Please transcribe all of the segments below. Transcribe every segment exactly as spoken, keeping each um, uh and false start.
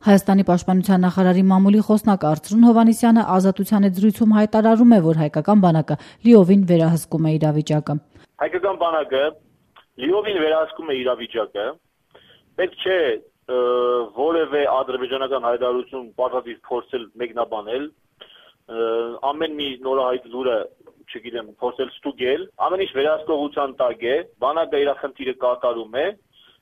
Հայաստանի պաշտպանության նախարարի մամուլի խոսնակ Արծրուն Հովհաննիսյանը Ազատության զրույցում հայտարարում է, որ հայկական բանակը լիովին վերահսկում է իրավիճակը։ Հայկական բանակը լիովին վերահսկում է իրավիճակը, պետք չէ որևէ ադրբեջանական հայտարարություն պարտադիր փորձել մեկնաբանել, ամեն մի նորահայտ լուրը, չգիտեմ, փորձել ստուգել, ամեն ինչ վերահսկողության տակ է, բանակը իր խնդիրը կատարում է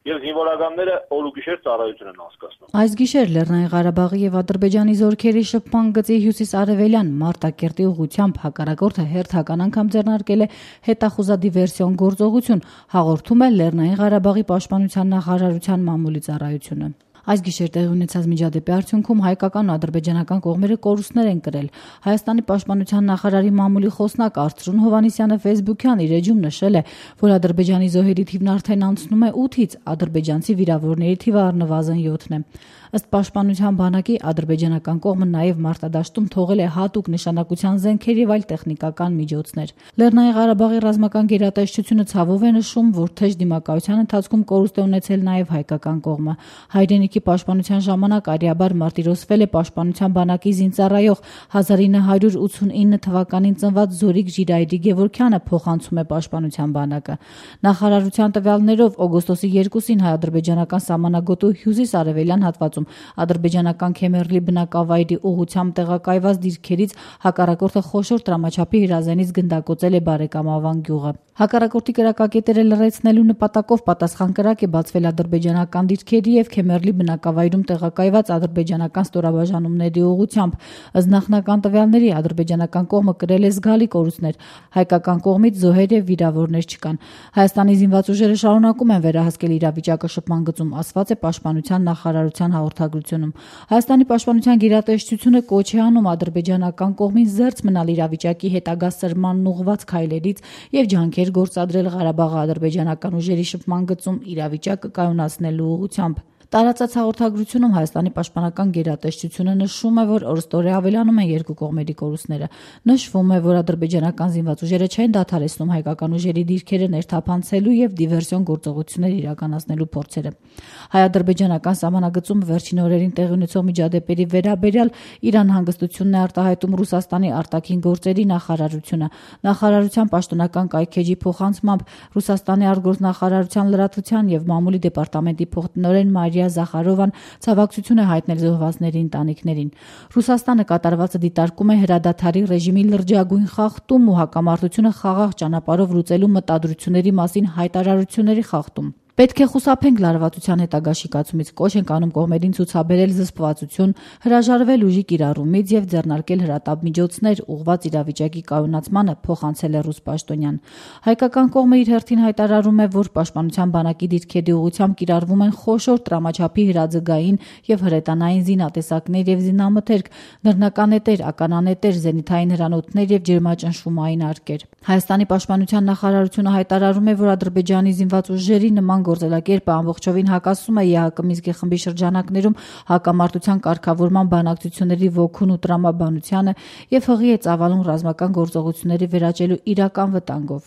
և զինվորականները օր ու գիշեր ծառայություն են անցկացնում։ Այս գիշեր Լեռնային Ղարաբաղի և Ադրբեջանի զորքերի շփման գծի հյուսիսարևելյան Մարտակերտի ուղղությամբ հակառակորդը հերթական անգամ ձեռնարկել է հետախուզադիվերսիոն գործողություն, հաղորդում է Լեռնային Ղարաբաղի պաշտպանության նախարարության մամուլի ծառայությունը։ Այս գիշեր տեղի ունեցած միջադեպի արդյունքում հայկական ու ադրբեջանական կողմերը կորուստներ են կրել։ Հայաստանի պաշտպանության նախարարի մամուլի խոսնակ Արծրուն Հովհաննիսյանը ֆեյսբուքյան իր էջում նշել է, որ Ադրբեջանի զոհերի թիվն արդեն անցնում է ութից, ադրբեջանցի վիրավորների թիվը առնվազն յոթն է։ Ըստ պաշտպանության բանակի ադրբեջանական կողմը նաև մարտադաշտում թողել է հատուկ նշանակության զենքեր և այլ տեխնիկական միջոցներ։ Լեռնային Ղարաբաղի ռազմական գերատեսչությունը ցավով է նշում, որ թեժ դիմակայության ընթացքում կորուստ է ունեցել նաև հայկական կողմը։ Հայրենիքի պաշտպանության ժամանակ արիաբար մարտիրոսվել է պաշտպանության բանակի զինծառայող հազար ինը հարյուր ութսունինը թվականին ծնված Զորիկ Ժիրայրի Գևորգյանը, փոխանցում է պաշտպանության բանակը։ Նախարարության տվյալներով օգոստոսի երկուսին հայ-ադրբեջանական սահմանագոտու հյուսիս-արևելյան հատվածում ադրբեջանական Քեմերլի բնակավայրի ուղղությամբ տեղակայված դիրքերից հակառակորդը խոշոր տրամաչափի հրազենից գնդակոծել է Բարեկամավան գյուղը։ Հակառակորդի կրակակետերը լռեցնելու նպատակով պատասխան կրակ է բացվել ադրբեջանական դիրքերի և Քեմերլի բնակավայրում տեղակայված ադրբեջանական ստորաբաժանումների ուղղությամբ։ Ըստ նախնական տվյալների ադրբեջանական կողմը կրել է զգալի կորուստներ, հայկական կողմից զոհեր և վիրավորներ չկան։ Հայաստանի զինված ուժերը շարունակում են վերահսկել իրավիճակը շփման գծում, ասված է պաշտպանության նախարարության հաղորդագրությունում։ Հայաստանի պաշտպանության գերատեսչությունը կոչ է անում ադրբեջանական կողմին զերծ մնալ իրավիճակի հետագա սրմանն ուղղված քայլերից և ջանքեր գործադրել Ղարաբաղի ադրբեջանական ուժերի շփման գծում իրավիճակը կայունացնելու ուղղությամբ։ Տարածած հաղորդագրությունում Հայաստանի պաշտպանական գերատեսչությունը նշում է, որ օրըստօրե ավելանում են երկու կողմերի կորուստները։ Նշվում է, որ ադրբեջանական զինված ուժերը չեն դադարեցնում հայկական ուժերի դիրքերը ներթափանցելու և դիվերսիոն գործողություններ իրականացնելու փորձերը։ Հայ-ադրբեջանական սահմանագծում վերջին օրերին տեղի ունեցող միջադեպերի վերաբերյալ իր անհանգստությունն է արտահայտում Ռուսաստանի արտաքին գործերի նախարարությունը։ Նախարարության պաշտոնական կայքէջի փոխանցմամբ Ռուսաստանի արտգործնախարարության լրատվության և մամուլի դեպարտամենտի փոխտնօրեն Մարիա Զախարովան ցավակցություն է հայտնել զոհվածների ընտանիքներին։ Ռուսաստանը կատարվածը դիտարկում է հրադադարի ռեժիմի լրջագույն խախտում ու հակամարտությունը խաղաղ ճանապարհով լուծելու մտադրությունների մասին հայտարարությունների խախտում։ Պետք է խուսափենք լարվածության հետագա շիկացումից, կոչ ենք անում կողմերին ցուցաբերել զսպվածություն, հրաժարվել ուժի կիրառումից և ձեռնարկել հրատապ միջոցներ ուղղված իրավիճակի կայունացմանը, փոխանցել է ռուս պաշտոնյան։ Հայկական կողմը իր հերթին հայտարարում է, որ պաշտպանության բանակի դիրքերի ուղղությամբ կիրառվում են խոշոր տրամաչափի հրաձգային և հրետանային զինատեսակներ և զինամթերք, նռնականետեր, ականանետեր, զենիթային հրանոթներ և ջերմաճնշումային արկեր։ Հայաստանի պաշտպանության նախարարությունը հայտարարում է, որ Ադրբեջանի զինված ուժերի նման գործելակերպը ամբողջովին հակասում է ԵԱՀԿ Մինսկի խմբի շրջանակներում հակամարտության կարգավորման բանակցությունների ոգուն ու տրամաբանությանը և հղի է ծավալում ռազմական գործողությունների վերաճելու իրական վտանգով։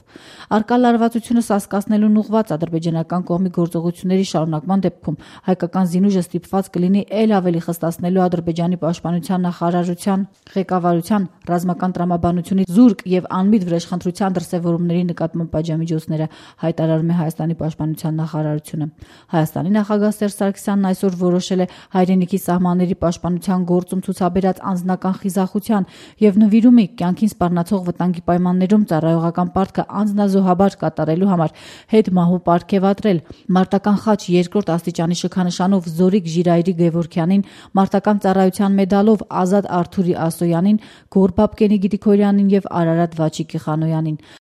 Առկա լարվածությունը սասկացնելուն ուղղված ադրբեջանական կողմի գործողությունների շարունակման դեպքում հայկական զինուժը ստիպված կլինի էլ ավելի խստացնելու Ադրբեջանի պաշտպանության նախարարության ղեկավարության ռազմական տրամաբանությունից զուրկ և անմիտ վրեժխնդրության դրսևորումների նկատմամբ պատժամիջոցները, հայտարարում է Հայաստանի պաշտպանության նախարարությունը։ Հայաստանի նախագահ Սերժ Սարգսյանն այսօր որոշել է հայրենիքի սահմանների պաշտպանության գործում ցուցաբերած անձնական խիզախության և նվիրումի կյանքին սպառնացող վտանգի պայմաններում ծառայողական պարտքը անձնազոհաբար կատարելու համար հետմահու պարգևատրել մարտական խաչ երկրորդ աստիճանի շքանշանով Զորիկ Ժիրայրի Գևորգյանին, մարտական ծառայության մեդալով Ազատ Արթուրի Ասոյանին, Գոռ Բաբկենի Գրիգորյանին և Արարատ Վաչիկի Խանոյանին։